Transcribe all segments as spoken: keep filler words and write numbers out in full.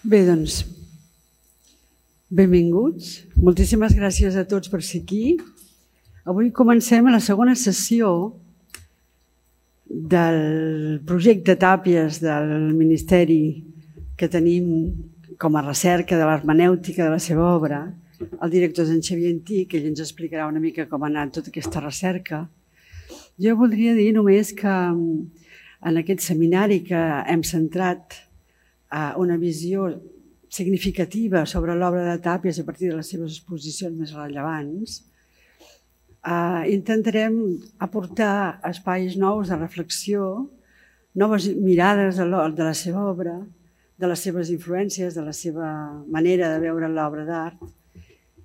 Bé, doncs, benvinguts. Moltíssimes gràcies a tots per ser aquí. Avui comencem la segona sessió del projecte Tàpies del Ministeri que tenim com a recerca de l'hermenèutica de la seva obra. El director és en Xavier Antic, ell ens explicarà una mica com ha anat tota aquesta recerca. Jo voldria dir només que en aquest seminari que hem centrat una visió significativa sobre l'obra de Tàpies a partir de les seves exposicions més rellevants, intentarem aportar espais nous de reflexió, noves mirades de la seva obra, de les seves influències, de la seva manera de veure l'obra d'art.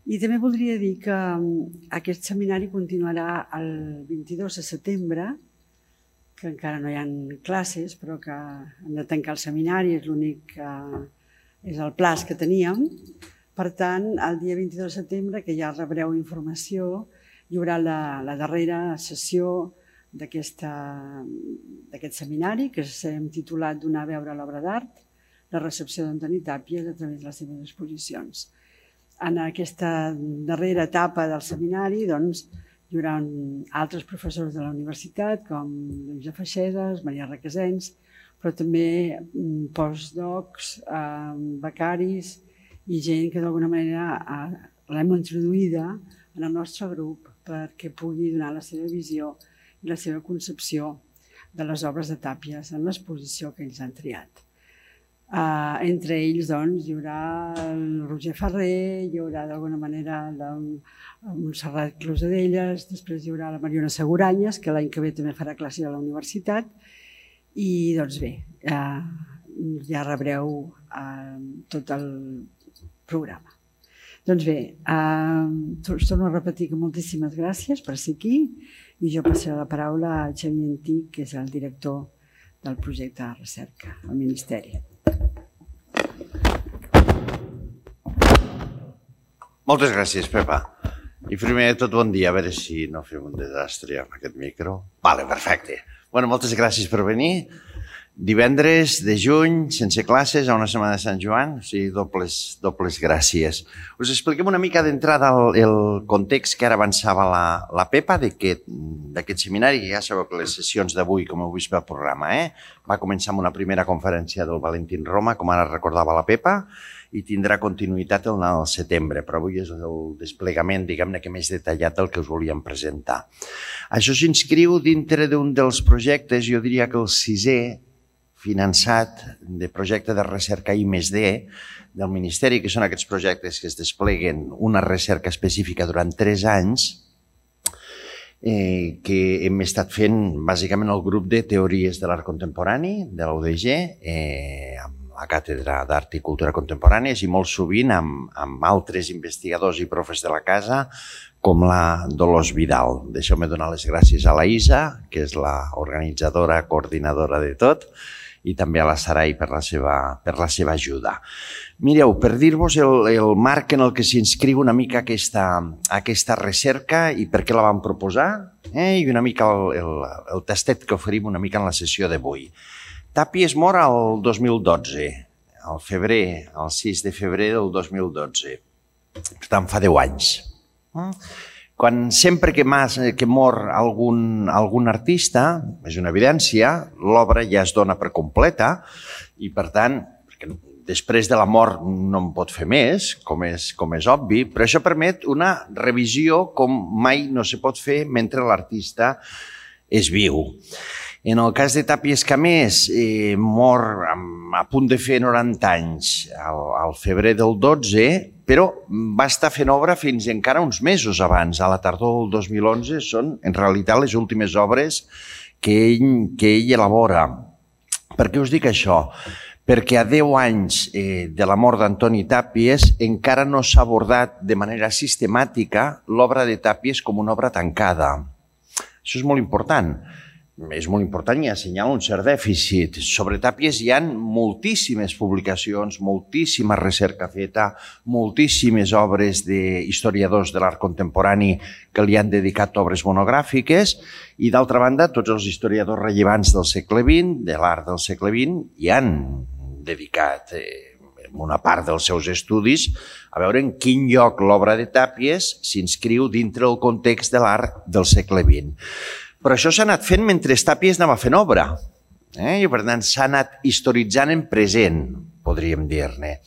I també voldria dir que aquest seminari continuarà el vint-i-dos de setembre, que encara no hi ha classes, però que hem de tancar el seminari, és l'únic que és el plaç que teníem. Per tant, el dia vint-i-dos de setembre, que ja rebreu informació, hi haurà la darrera sessió d'aquest seminari, que s'hem titulat Donar a veure l'obra d'art, la recepció d'Antoni Tàpies a través de les seves exposicions. En aquesta darrera etapa del seminari, doncs, hi haurà altres professors de la universitat, com Lluïsa Feixedes, Maria Requesens, però també postdocs, becaris i gent que d'alguna manera l'hem introduïda en el nostre grup perquè pugui donar la seva visió i la seva concepció de les obres de Tàpies en l'exposició que ells han triat. Entre ells hi haurà el Roger Ferrer, hi haurà d'alguna manera la Montserrat Closadelles, després hi haurà la Mariona Seguranyes, que l'any que ve també farà classe a la universitat, i doncs bé, ja rebreu tot el programa. Doncs bé, torno a repetir que moltíssimes gràcies per ser aquí i jo passaré la paraula a Xavier Antic, que és el director del projecte de recerca al Ministeri. Moltes gràcies, Pepa. I primer de tot, bon dia. A veure si no fem un desastre amb aquest micro. Vale, perfecte. Bueno, moltes gràcies per venir. Divendres de juny, sense classes, a una setmana de Sant Joan, o sigui, dobles gràcies. Us expliquem una mica d'entrada el context que ara avançava la Pepa d'aquest seminari, que ja sabeu que les sessions d'avui, com heu vist pel programa, va començar amb una primera conferència del Valentín Roma, com ara recordava la Pepa, i tindrà continuïtat el setembre, però avui és el desplegament, diguem-ne, que més detallat del que us volíem presentar. Això s'inscriu dintre d'un dels projectes, jo diria que el sisè, finançat de projecte de recerca I més D del Ministeri, que són aquests projectes que es despleguen una recerca específica durant tres anys, que hem estat fent bàsicament el grup de teories de l'art contemporani de la U D G, amb la Càtedra d'Art i Cultura Contemporànies i molt sovint amb altres investigadors i profes de la casa, com la Dolors Vidal. Deixeu-me donar les gràcies a la Isa, que és l'organitzadora, coordinadora de tot, i també a la Sarai per la seva ajuda. Mireu, per dir-vos el marc en el que s'inscriu una mica aquesta recerca i per què la vam proposar, i una mica el tastet que oferim una mica en la sessió d'avui. Tàpies mor el dos mil dotze, al febrer, el sis de febrer del dos mil dotze. Per tant, fa deu anys. Quan sempre que mor algun artista, és una evidència, l'obra ja es dona per completa i, per tant, després de la mort no en pot fer més, com és obvi, però això permet una revisió com mai no se pot fer mentre l'artista és viu. En el cas de Tàpies Camés, mor a punt de fer noranta anys al febrer del dotze, però va estar fent obra fins encara uns mesos abans. A la tardor del dos mil onze són, en realitat, les últimes obres que ell elabora. Per què us dic això? Perquè a deu anys de la mort d'Antoni Tàpies encara no s'ha abordat de manera sistemàtica l'obra de Tàpies com una obra tancada. Això és molt important. És molt important i assenyala un cert dèficit. Sobre Tàpies hi ha moltíssimes publicacions, moltíssima recerca feta, moltíssimes obres d'historiadors de l'art contemporani que li han dedicat obres monogràfiques i, d'altra banda, tots els historiadors rellevants del segle vint, de l'art del segle vint, hi han dedicat una part dels seus estudis, a veure en quin lloc l'obra de Tàpies s'inscriu dintre el context de l'art del segle vint. Però això s'ha anat fent mentre Tàpies anava fent obra. Eh? I per tant s'ha anat historitzant en present, podríem dir-ne.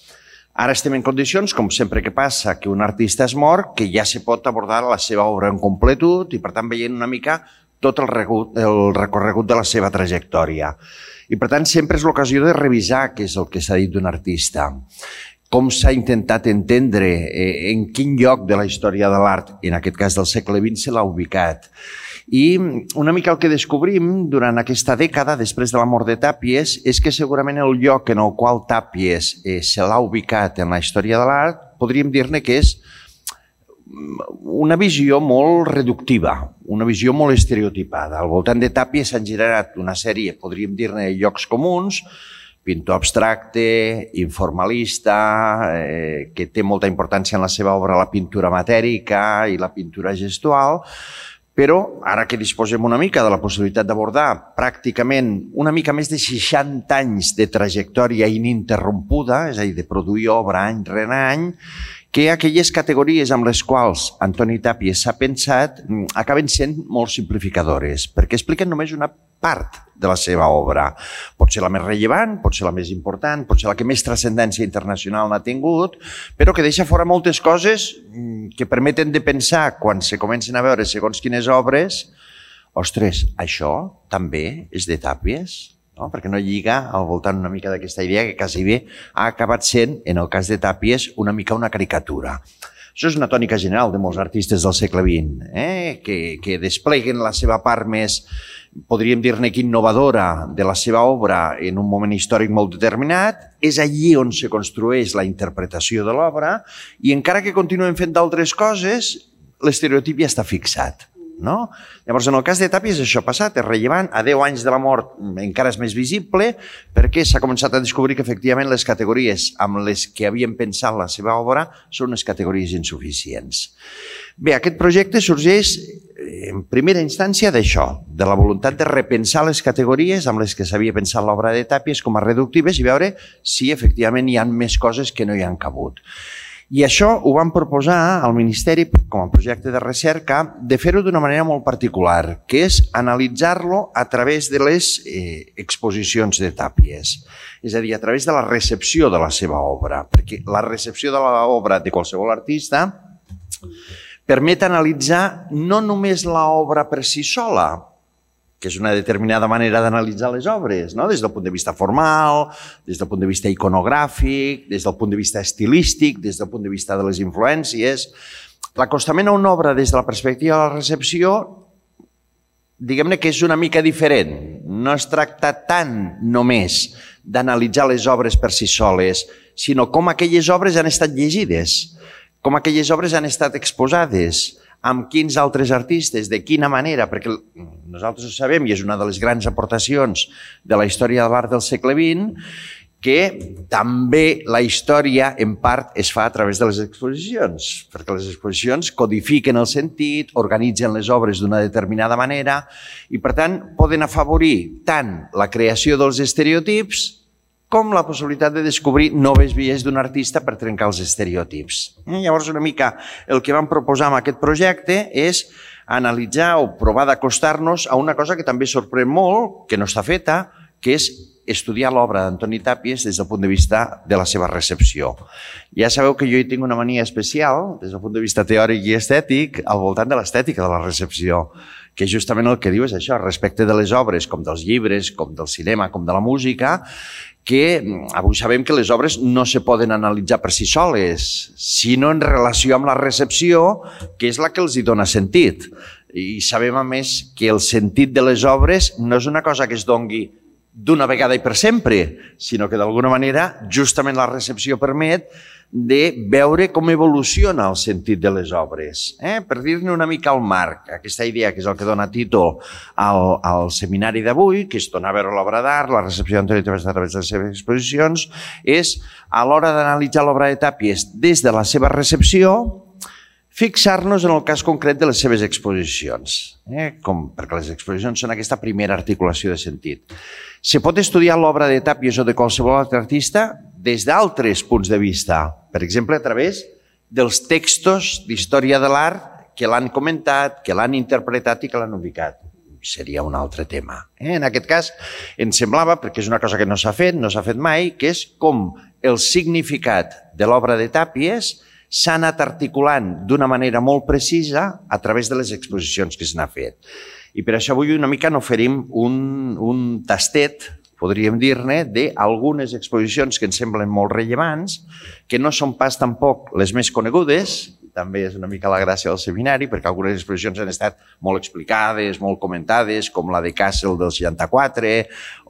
Ara estem en condicions, com sempre que passa, que un artista es mor, que ja se pot abordar la seva obra en completud i per tant veient una mica tot el recorregut de la seva trajectòria. I per tant sempre és l'ocasió de revisar què és el que s'ha dit d'un artista, com s'ha intentat entendre, en quin lloc de la història de l'art, en aquest cas del segle vint, se l'ha ubicat. I una mica el que descobrim durant aquesta dècada, després de la mort de Tàpies, és que segurament el lloc en el qual Tàpies se l'ha ubicat en la història de l'art, podríem dir-ne que és una visió molt reductiva, una visió molt estereotipada. Al voltant de Tàpies s'han generat una sèrie, podríem dir-ne, llocs comuns, pintor abstracte, informalista, eh, que té molta importància en la seva obra la pintura matèrica i la pintura gestual, però ara que disposem una mica de la possibilitat d'abordar pràcticament una mica més de seixanta anys de trajectòria ininterrompuda, és a dir, de produir obra any rere any, que aquelles categories amb les quals Antoni Tàpies s'ha pensat acaben sent molt simplificadores, perquè expliquen només una part de la seva obra. Pot ser la més rellevant, pot ser la més important, pot ser la que més transcendència internacional n'ha tingut, però que deixa fora moltes coses que permeten de pensar, quan se comencen a veure segons quines obres, ostres, això també és de Tàpies? Perquè no lliga al voltant una mica d'aquesta idea que quasi bé ha acabat sent, en el cas de Tàpies, una mica una caricatura. Això és una tònica general de molts artistes del segle vint, que despleguen la seva part més, podríem dir-ne que innovadora, de la seva obra en un moment històric molt determinat. És allí on se construeix la interpretació de l'obra i encara que continuem fent d'altres coses, l'estereotip ja està fixat. Llavors, en el cas de Tàpies, això ha passat, és rellevant. A deu anys de la mort encara és més visible perquè s'ha començat a descobrir que efectivament les categories amb les que havien pensat la seva obra són unes categories insuficients. Bé, aquest projecte sorgeix en primera instància d'això, de la voluntat de repensar les categories amb les que s'havia pensat l'obra de Tàpies com a reductives i veure si efectivament hi ha més coses que no hi han cabut. I això ho vam proposar al Ministeri com a projecte de recerca de fer-ho d'una manera molt particular, que és analitzar-lo a través de les exposicions de Tàpies, és a dir, a través de la recepció de la seva obra, perquè la recepció de l'obra de qualsevol artista permet analitzar no només l'obra per si sola, que és una determinada manera d'analitzar les obres, des del punt de vista formal, des del punt de vista iconogràfic, des del punt de vista estilístic, des del punt de vista de les influències. L'acostament a una obra des de la perspectiva de la recepció, diguem-ne que és una mica diferent. No es tracta tant només d'analitzar les obres per si soles, sinó com aquelles obres han estat llegides, com aquelles obres han estat exposades, amb quins altres artistes, de quina manera, perquè nosaltres ho sabem i és una de les grans aportacions de la història de l'art del segle vint, que també la història en part es fa a través de les exposicions, perquè les exposicions codifiquen el sentit, organitzen les obres d'una determinada manera i per tant poden afavorir tant la creació dels estereotips com la possibilitat de descobrir noves vies d'un artista per trencar els estereotips. Llavors, una mica el que vam proposar amb aquest projecte és analitzar o provar d'acostar-nos a una cosa que també sorprèn molt, que no està feta, que és estudiar l'obra d'Antoni Tàpies des del punt de vista de la seva recepció. Ja sabeu que jo hi tinc una mania especial, des del punt de vista teòric i estètic, al voltant de l'estètica de la recepció, que justament el que diu és això, respecte de les obres, com dels llibres, com del cinema, com de la música, que avui sabem que les obres no se poden analitzar per si soles, sinó en relació amb la recepció, que és la que els hi dona sentit. I sabem, a més, que el sentit de les obres no és una cosa que es dongui d'una vegada i per sempre, sinó que d'alguna manera justament la recepció permet de veure com evoluciona el sentit de les obres. Per dir-ne una mica al marc, aquesta idea que és el que dona títol al seminari d'avui, que és donar a veure l'obra d'art, la recepció d'Antoni Tàpies a través de les seves exposicions, és a l'hora d'analitzar l'obra de Tàpies des de la seva recepció, fixar-nos en el cas concret de les seves exposicions, perquè les exposicions són aquesta primera articulació de sentit. Se pot estudiar l'obra de Tàpies o de qualsevol altre artista des d'altres punts de vista, per exemple, a través dels textos d'història de l'art que l'han comentat, que l'han interpretat i que l'han ubicat. Seria un altre tema. En aquest cas, ens semblava, perquè és una cosa que no s'ha fet, no s'ha fet mai, que és com el significat de l'obra de Tàpies s'ha anat articulant d'una manera molt precisa a través de les exposicions que s'han fet. I per això avui una mica n'oferim un, un tastet, podríem dir-ne, d'algunes exposicions que ens semblen molt rellevants, que no són pas tampoc les més conegudes, també és una mica la gràcia del seminari, perquè algunes exposicions han estat molt explicades, molt comentades, com la de Kassel del seixanta-quatre,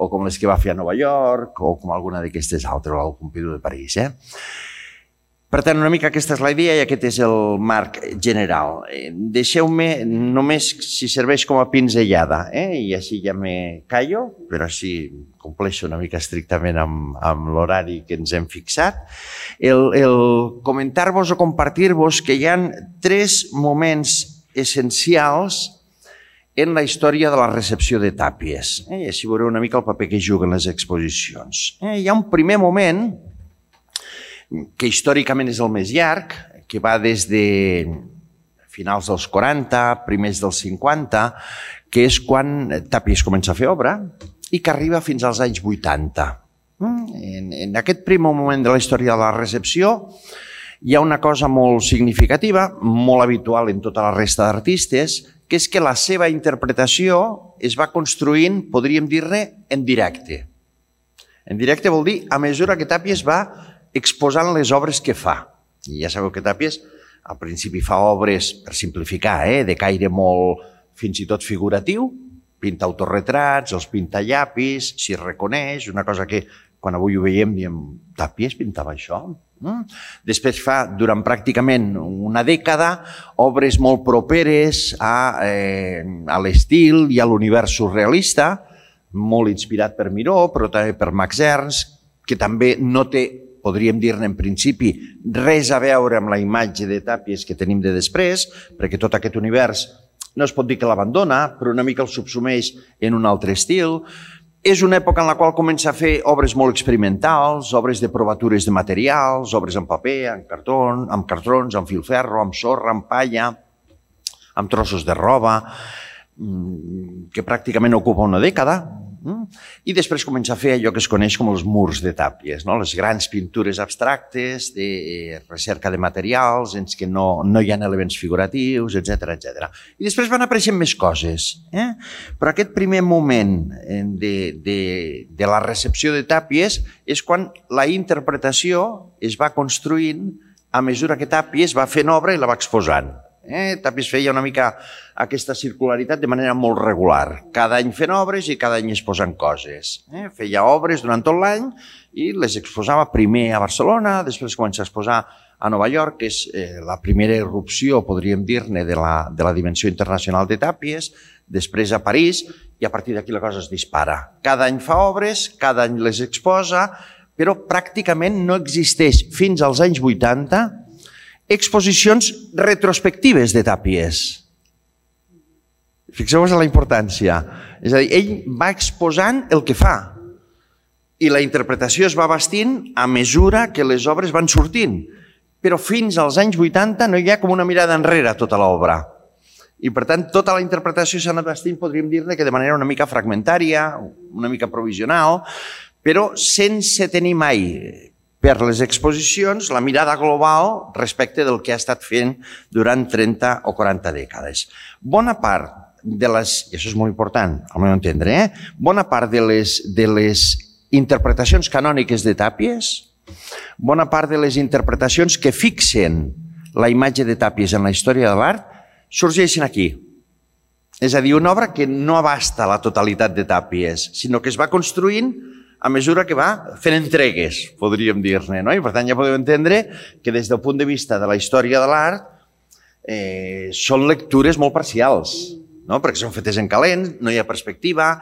o com les que va fer a Nova York, o com alguna d'aquestes altres, o al Pompidou de París. Eh? Per tant, una mica aquesta és la idea i aquest és el marc general. Deixeu-me només si serveix com a pinzellada, eh? I així ja me callo, però així compleixo una mica estrictament amb, amb l'horari que ens hem fixat. El, el comentar-vos o compartir-vos que hi ha tres moments essencials en la història de la recepció de Tàpies. Eh? I així veureu una mica el paper que juguen les exposicions. Eh? Hi ha un primer moment que històricament és el més llarg, que va des de finals dels quaranta, primers dels cinquanta, que és quan Tàpies comença a fer obra i que arriba fins als anys vuitanta. En, en aquest primer moment de la història de la recepció hi ha una cosa molt significativa, molt habitual en tota la resta d'artistes, que és que la seva interpretació es va construint, podríem dir-ne, en directe. En directe vol dir a mesura que Tàpies va exposant les obres que fa. I ja sabeu que Tàpies al principi fa obres, per simplificar, eh, de caire molt fins i tot figuratiu, pinta autorretrats, els pinta llapis, s'hi reconeix, una cosa que quan avui ho veiem diem, Tàpies pintava això? Mm? Després fa, durant pràcticament una dècada, obres molt properes a, eh, a l'estil i a l'univers surrealista, molt inspirat per Miró, però també per Max Ernst, que també no té, podríem dir-ne en principi, res a veure amb la imatge de Tàpies que tenim de després, perquè tot aquest univers no es pot dir que l'abandona, però una mica el subsumeix en un altre estil. És una època en la qual comença a fer obres molt experimentals, obres de provatures de materials, obres en paper, en cartó, amb cartrons, amb filferro, amb sorra, amb palla, amb trossos de roba, que pràcticament ocupa una dècada. I després comença a fer allò que es coneix com els murs de Tàpies, no? Les grans pintures abstractes de recerca de materials en què no, no hi ha elements figuratius, etcètera, etcètera. I després van apareixent més coses. Eh? Però aquest primer moment de, de, de la recepció de Tàpies és quan la interpretació es va construint a mesura que Tàpies va fent obra i la va exposant. Eh? Tàpies feia una mica aquesta circularitat de manera molt regular. Cada any fent obres i cada any exposant coses. Eh? Feia obres durant tot l'any i les exposava primer a Barcelona, després comença a exposar a Nova York, que és eh, la primera irrupció, podríem dir-ne, de, la, de la dimensió internacional de Tàpies, després a París, i a partir d'aquí la cosa es dispara. Cada any fa obres, cada any les exposa, però pràcticament no existeix fins als anys vuitanta exposicions retrospectives de Tàpies. Fixeu-vos en la importància. És a dir, ell va exposant el que fa i la interpretació es va bastint a mesura que les obres van sortint. Però fins als anys vuitanta no hi ha com una mirada enrere a tota l'obra. I per tant, tota la interpretació s'ha anat bastint, podríem dir-ne que de manera una mica fragmentària, una mica provisional, però sense tenir mai per les exposicions la mirada global respecte del que ha estat fent durant trenta o quaranta dècades. Bona part de les, i això és molt important, al meu entendre, eh? bona part de les, de les interpretacions canòniques de Tàpies, bona part de les interpretacions que fixen la imatge de Tàpies en la història de l'art, sorgeixen aquí. És a dir, una obra que no abasta la totalitat de Tàpies, sinó que es va construint a mesura que va fent entregues, podríem dir-ne. No? I per tant ja podeu entendre que des del punt de vista de la història de l'art eh, són lectures molt parcials, no? Perquè són fetes en calent, no hi ha perspectiva,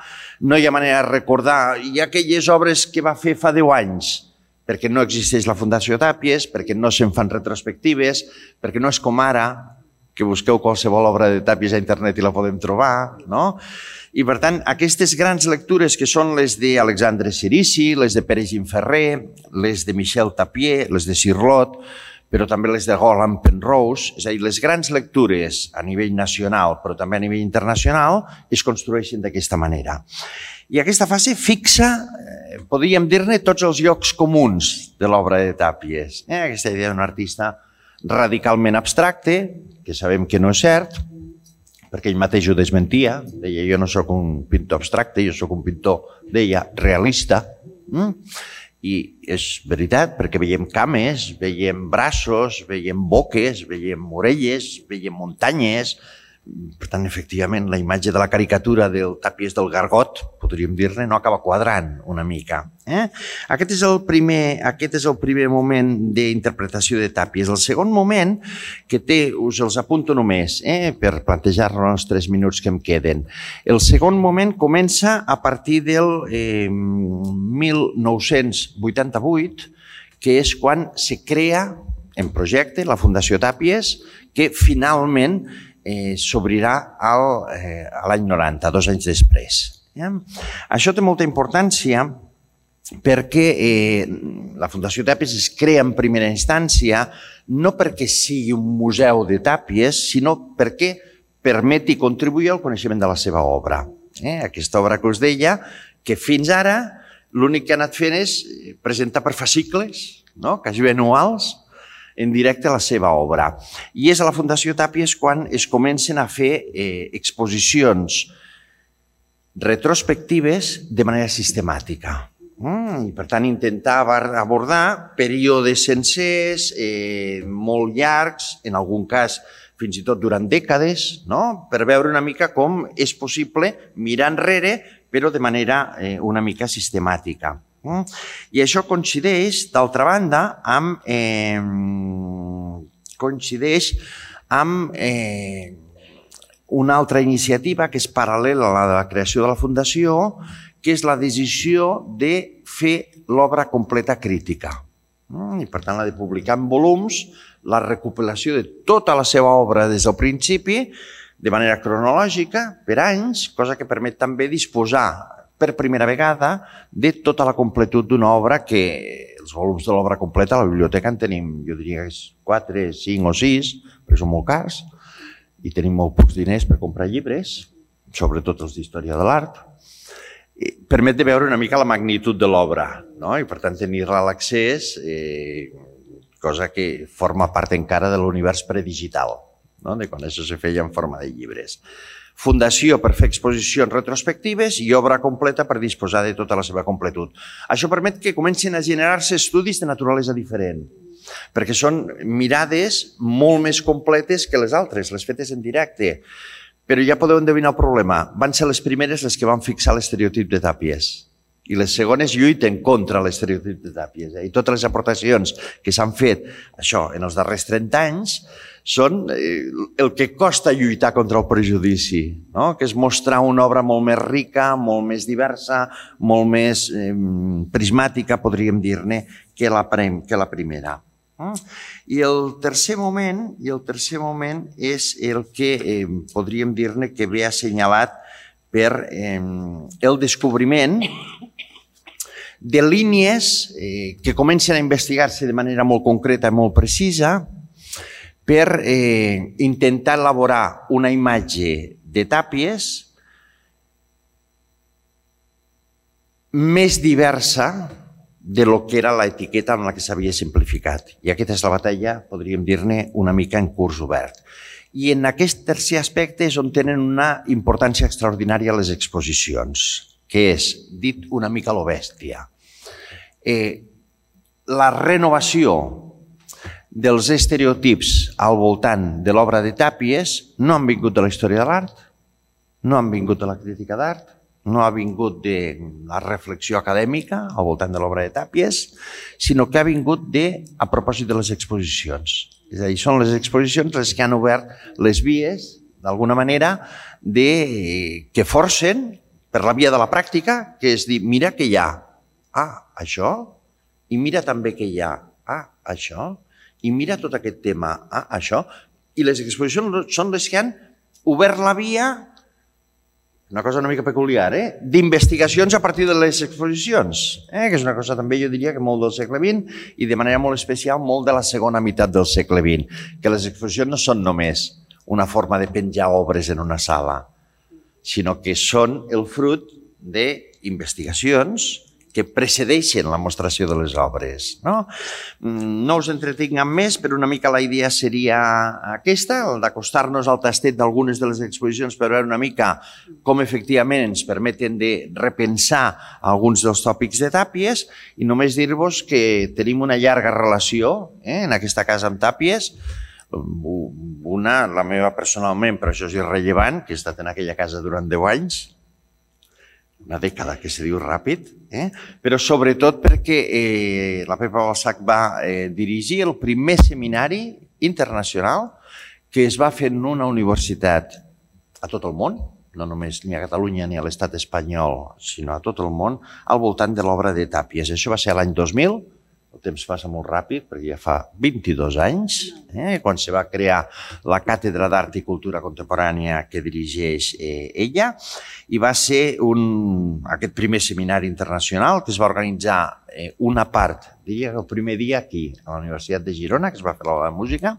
no hi ha manera de recordar. Hi ha aquelles obres que va fer fa deu anys, perquè no existeix la Fundació Tàpies, perquè no se'n fan retrospectives, perquè no és com ara, que busqueu qualsevol obra de Tàpies a internet i la podem trobar, no? I, per tant, aquestes grans lectures que són les d'Alexandre Cirici, les de Pere Gimferrer, les de Michel Tapier, les de Cirlot, però també les de Roland Penrose, és a dir, les grans lectures a nivell nacional, però també a nivell internacional, es construeixen d'aquesta manera. I aquesta fase fixa, podríem dir-ne, tots els llocs comuns de l'obra de Tàpies. Aquesta idea d'un artista radicalment abstracte, que sabem que no és cert, perquè ell mateix ho desmentia, deia jo no sóc un pintor abstracte, jo sóc un pintor, deia, realista. I és veritat, perquè veiem cames, veiem braços, veiem boques, veiem orelles, veiem muntanyes. Per tant, efectivament, la imatge de la caricatura del Tàpies del Gargot, podríem dir-ne, no acaba quadrant una mica. Aquest és el primer, aquest és el primer moment d'interpretació de Tàpies. El segon moment, que té, us els apunto només, per plantejar-lo en els tres minuts que em queden. El segon moment comença a partir del mil nou-cents vuitanta-vuit, que és quan se crea en projecte la Fundació Tàpies, que finalment s'obrirà l'any noranta, dos anys després. Això té molta importància perquè la Fundació Tàpies es crea en primera instància no perquè sigui un museu de Tàpies, sinó perquè permeti contribuir al coneixement de la seva obra. Aquesta obra que us deia, que fins ara l'únic que ha anat fent és presentar per fascicles, quasi anuals, en directe a la seva obra. I és a la Fundació Tàpies quan es comencen a fer exposicions retrospectives de manera sistemàtica. I, per tant, intentar abordar períodes sencers, molt llargs, en algun cas fins i tot durant dècades, per veure una mica com és possible mirar enrere, però de manera una mica sistemàtica. I això coincideix, d'altra banda, amb coincideix amb una altra iniciativa que és paral·lela a la de la creació de la Fundació, que és la decisió de fer l'obra completa crítica. I, per tant, la de publicar en volums, la recopilació de tota la seva obra des del principi, de manera cronològica, per anys, cosa que permet també disposar per primera vegada de tota la completud d'una obra que els volums de l'obra completa a la biblioteca en tenim, jo diria que és quatre, cinc o sis, perquè són molt cars, i tenim molt pocs diners per comprar llibres, sobretot els d'història de l'art. Permet de veure una mica la magnitud de l'obra, i per tant tenir-la a l'accés, cosa que forma part encara de l'univers predigital, de quan això se feia en forma de llibres. Fundació per fer exposicions retrospectives i obra completa per disposar de tota la seva completud. Això permet que comencin a generar-se estudis de naturalesa diferent, perquè són mirades molt més completes que les altres, les fetes en directe. Però ja podeu endevinar el problema. Van ser les primeres les que van fixar l'estereotip de Tàpies i les segones lluiten contra l'estereotip de Tàpies. I totes les aportacions que s'han fet això en els darrers trenta anys són el que costa lluitar contra el prejudici, que és mostrar una obra molt més rica, molt més diversa, molt més prismàtica, podríem dir-ne, que la primera. I el tercer moment, i el tercer moment és el que podríem dir-ne que ve assenyalat per el descobriment de línies que comencen a investigar-se de manera molt concreta i molt precisa per intentar elaborar una imatge de Tàpies més diversa de lo que era l'etiqueta amb la que s'havia simplificat. I aquesta és la batalla, podríem dir-ne, una mica en curs obert. I en aquest tercer aspecte és on tenen una importància extraordinària les exposicions, que és, dit una mica a lo bèstia, la renovació dels estereotips al voltant de l'obra de Tàpies no han vingut de la història de l'art, no han vingut de la crítica d'art, no ha vingut de la reflexió acadèmica al voltant de l'obra de Tàpies, sinó que ha vingut a propòsit de les exposicions. És a dir, són les exposicions les que han obert les vies, d'alguna manera, que forcen, per la via de la pràctica, que és dir, mira què hi ha, ah, això, i mira també què hi ha, ah, això, i mira tot aquest tema, ah, això, i les exposicions són les que han obert la via, una cosa una mica peculiar, eh? d'investigacions a partir de les exposicions, eh? que és una cosa també jo diria que molt del segle vint i de manera molt especial molt de la segona meitat del segle vint, que les exposicions no són només una forma de penjar obres en una sala, sinó que són el fruit d'investigacions que precedeixen la mostració de les obres. No, no us entretinc amb més, però una mica la idea seria aquesta, el d'acostar-nos al tastet d'algunes de les exposicions per veure una mica com efectivament ens permeten de repensar alguns dels tòpics de Tàpies i només dir-vos que tenim una llarga relació eh, en aquesta casa amb Tàpies, una, la meva personalment, però això és irrellevant, que he estat en aquella casa durant deu anys, una dècada que se diu ràpid, eh? però sobretot perquè eh, la Pepa Balsac va eh, dirigir el primer seminari internacional que es va fer en una universitat a tot el món, no només ni a Catalunya ni a l'estat espanyol, sinó a tot el món, al voltant de l'obra de Tàpies. Això va ser l'any dos mil, el temps passa molt ràpid, perquè ja fa vint-i-dos anys, eh, quan se va crear la Càtedra d'Art i Cultura Contemporània que dirigeix eh, ella, i va ser un, aquest primer seminari internacional que es va organitzar eh, una part, diria que el primer dia aquí, a la Universitat de Girona, que es va fer la música,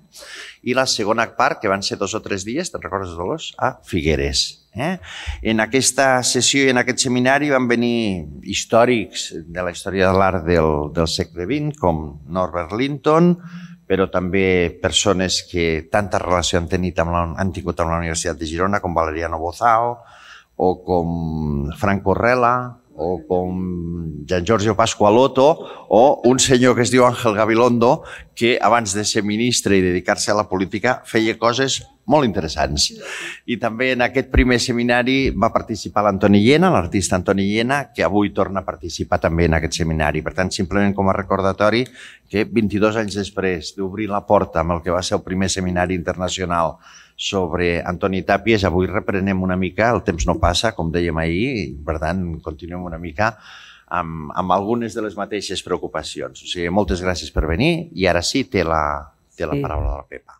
i la segona part, que van ser dos o tres dies, te'n recordes, Dolors? A Figueres. Eh? En aquesta sessió i en aquest seminari van venir històrics de la història de l'art del, del segle vint, com Norbert Linton, però també persones que tanta relació han, tenit amb la, han tingut amb la Universitat de Girona, com Valeriano Bozao, o com Franco Rela, o com Gian Giorgio Pasqualotto, o un senyor que es diu Ángel Gabilondo, que abans de ser ministre i dedicar-se a la política feia coses molt interessants. I també en aquest primer seminari va participar l'Antoni Llena, l'artista Antoni Llena, que avui torna a participar també en aquest seminari. Per tant, simplement com a recordatori que vint-i-dos anys després d'obrir la porta amb el que va ser el primer seminari internacional sobre Antoni Tàpies, avui reprenem una mica, el temps no passa, com dèiem ahir, i per tant continuem una mica amb, amb algunes de les mateixes preocupacions. O sigui, moltes gràcies per venir i ara sí té la, té la paraula de la Pepa.